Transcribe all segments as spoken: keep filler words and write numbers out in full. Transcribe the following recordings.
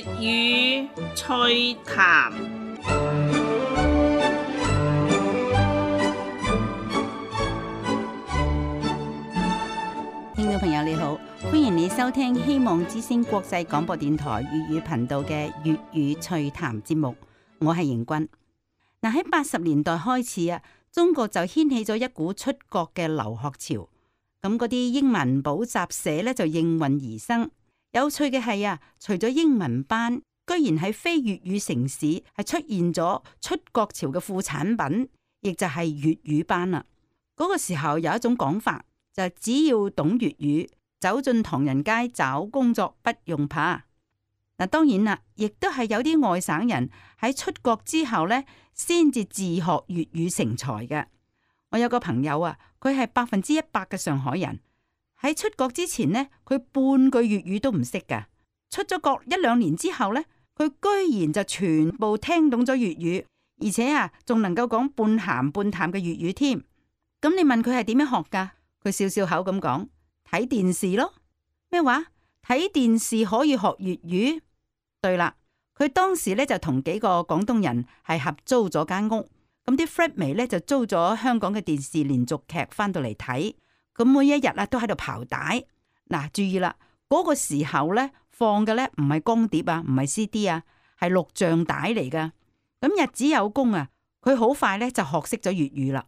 粵語趣談。聽眾朋友你好，歡迎你收聽希望之聲國際廣播電台粵語頻道嘅粵語趣談節目，我係邢君。嗱，喺八十年代開始啊，中國就掀起咗一股出國嘅留學潮，咁嗰啲英文補習社咧就應運而生。有趣嘅係啊，除咗英文班，居然喺非粵語城市係出現咗出國潮嘅副產品，亦就係粵語班啦。嗰個時候有一種講法，就係只要懂粵語，走進唐人街找工作不用怕。嗱，當然啦，亦都係有啲外省人喺出國之後呢，先至自學粵語成才嘅。我有個朋友啊，佢係百分之一百嘅上海人。喺出國之前呢，佢半句粵語都唔識噶。出咗國一兩年之後呢，佢居然就全部聽懂咗粵語，而且啊，仲能夠講半鹹半淡嘅粵語添。咁你問佢係點樣學噶？佢笑笑口咁講：睇電視咯。咩話？睇電視可以學粵語？對啦，佢當時咧就同幾個廣東人係合租咗間屋，咁啲 flatmate 咧就租咗香港嘅電視連續劇翻到嚟睇。咁每一日啊都喺度刨帶。嗱，注意啦，嗰個時候咧放嘅咧唔係光碟啊，唔係 C D 啊，係錄像帶嚟噶。咁日子有功啊，佢好快咧就學識咗粵語啦。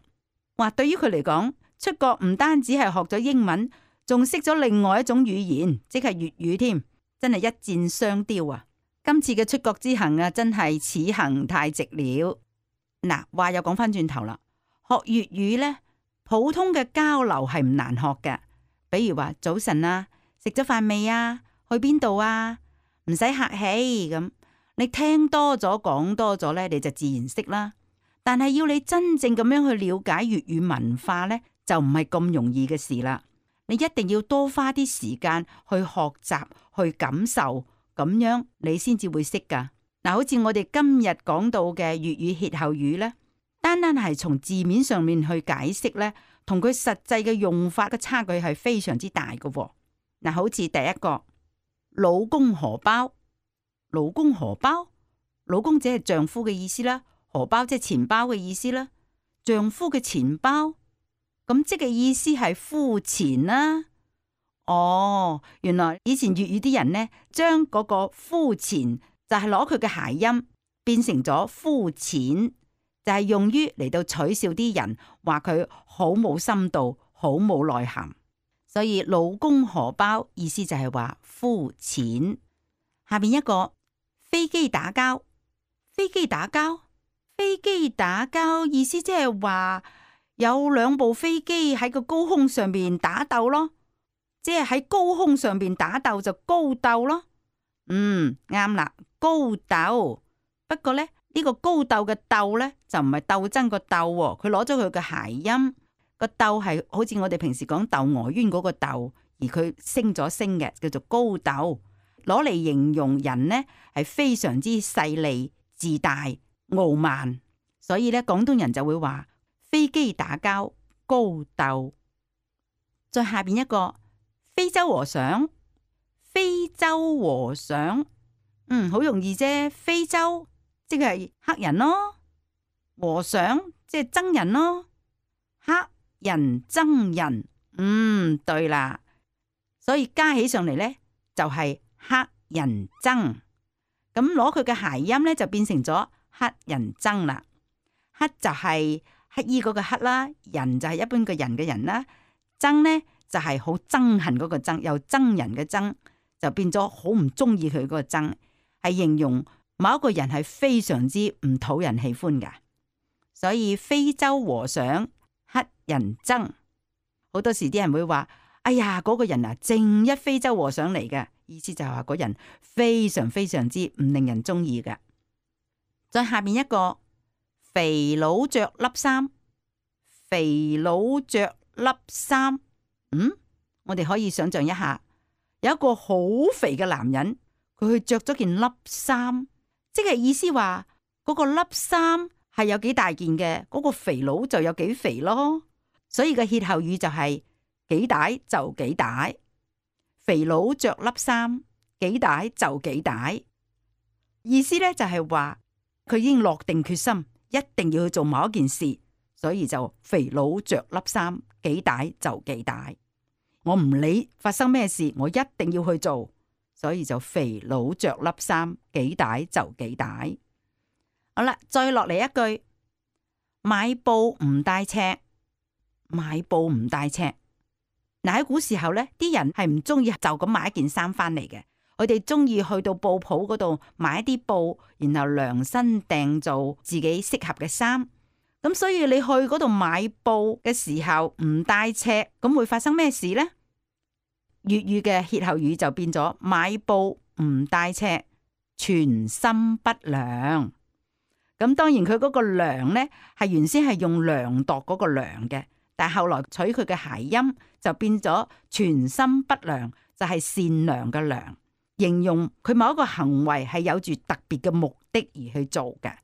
話對於佢嚟講，出國唔單止係學咗英文，仲識咗另外一種語言，即係粵語添，真係一箭雙雕啊！今次嘅出國之行啊，真係此行太值了。嗱，話又講翻轉頭啦，學粵語咧。普通嘅交流係唔難學嘅，比如話早晨啊，食咗飯未啊，去邊度啊，唔使客氣咁。你聽多咗講多咗呢，你就自然識啦。但係要你真正咁樣去了解粵語文化呢，就唔係咁容易嘅事啦。你一定要多花啲時間去學習、去感受，咁樣你先至會識噶。嗱，好似我哋今日講到嘅粵語歇後語呢。單單係從字面上面去解釋呢，同佢實際嘅用法嘅差距係非常之大嘅。嗱，好似第一個老公荷包，老公荷包，老公即係丈夫嘅意思啦，荷包即係錢包嘅意思啦，丈夫嘅錢包，咁即係意思係膚淺啦。哦，原來以前粵語啲人呢，將嗰個膚淺就係攞佢嘅諧音變成咗膚淺。就係用於嚟到取笑啲人，話佢好冇深度，好冇內涵。所以老公荷包意思就係話膚淺。下邊一個飛機打交，飛機打交，飛機打交意思即係話有兩部飛機喺個高空上邊打鬥咯，即係喺高空上邊打鬥就高鬥咯。嗯，啱啦，高鬥。不過呢。呢個高鬥嘅鬥呢，就唔係鬥爭個鬥，佢攞咗佢嘅諧音，個鬥係好似我哋平時講竇娥冤嗰個鬥，而佢升咗升嘅，叫做高鬥，攞嚟形容人呢係非常之勢利、自大、傲慢，所以呢，廣東人就會話飛機打交高鬥。再下邊一個非洲和尚，非洲和尚，嗯，好容易啫，非洲。即係黑人咯，和尚即係僧人咯，黑人僧人，嗯，對啦，所以加起上嚟呢，就係黑人僧，咁攞佢嘅諧音呢，就變成咗黑人僧啦。黑就係乞衣嗰個黑啦，人就係一般嘅人嘅人啦，僧呢就係好憎恨嗰個憎，又憎人嘅憎，就變咗好唔中意佢嗰個憎，係形容某一個人係非常之唔討人喜歡噶。所以非洲和尚黑人憎，好多時啲人會話：哎呀，嗰個人啊，正一非洲和尚嚟嘅，意思就係話嗰人非常非常之唔令人中意嘅。再下面一個肥佬着笠衫，肥佬着笠衫，嗯，我哋可以想象一下，有一個好肥嘅男人，佢去着咗件笠衫。即係意思話嗰個笠衫係有幾大件嘅，嗰個肥佬就有幾肥咯。所以個歇後語就係幾大就幾大，肥佬着笠衫，幾大就幾大。意思咧就係話佢已經落定決心，一定要去做某一件事，所以就肥佬着粒衫，幾大就幾大。我唔理發生咩事，我一定要去做，所以就肥佬着粒衫，幾大就幾大。好啦，再落嚟一句，買布唔帶尺，買布唔帶尺。嗱，喺古時候咧，啲人係唔中意就咁買一件衫翻嚟嘅，佢哋中意去到布鋪嗰度買一啲布，然後量身訂做自己適合嘅衫。咁所以你去嗰度買布嘅時候唔帶尺，咁會發生咩事呢？粵語嘅歇後語就變咗買布唔帶尺，存心不量。咁當然佢嗰個量呢，係原先係用量度嗰個量嘅，但係後來取佢嘅諧音就變咗存心不良，就係善良嘅良，形容佢某一個行為係有住特別嘅目的而去做嘅，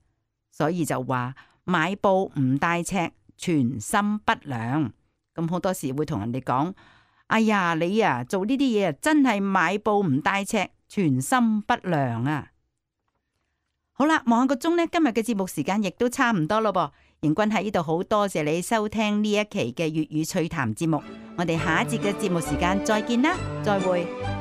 所以就話買布唔帶尺，存心不良。咁好多時會同人哋講，哎呀，你啊做呢啲嘢啊，真係買布唔帶尺，存心不良啊！好啦，望下個鐘呢，今日嘅節目時間亦都差唔多咯噃。盈君喺呢度好多謝你收聽呢一期嘅粵語趣談節目，我哋下一節嘅節目時間再見啦，再會。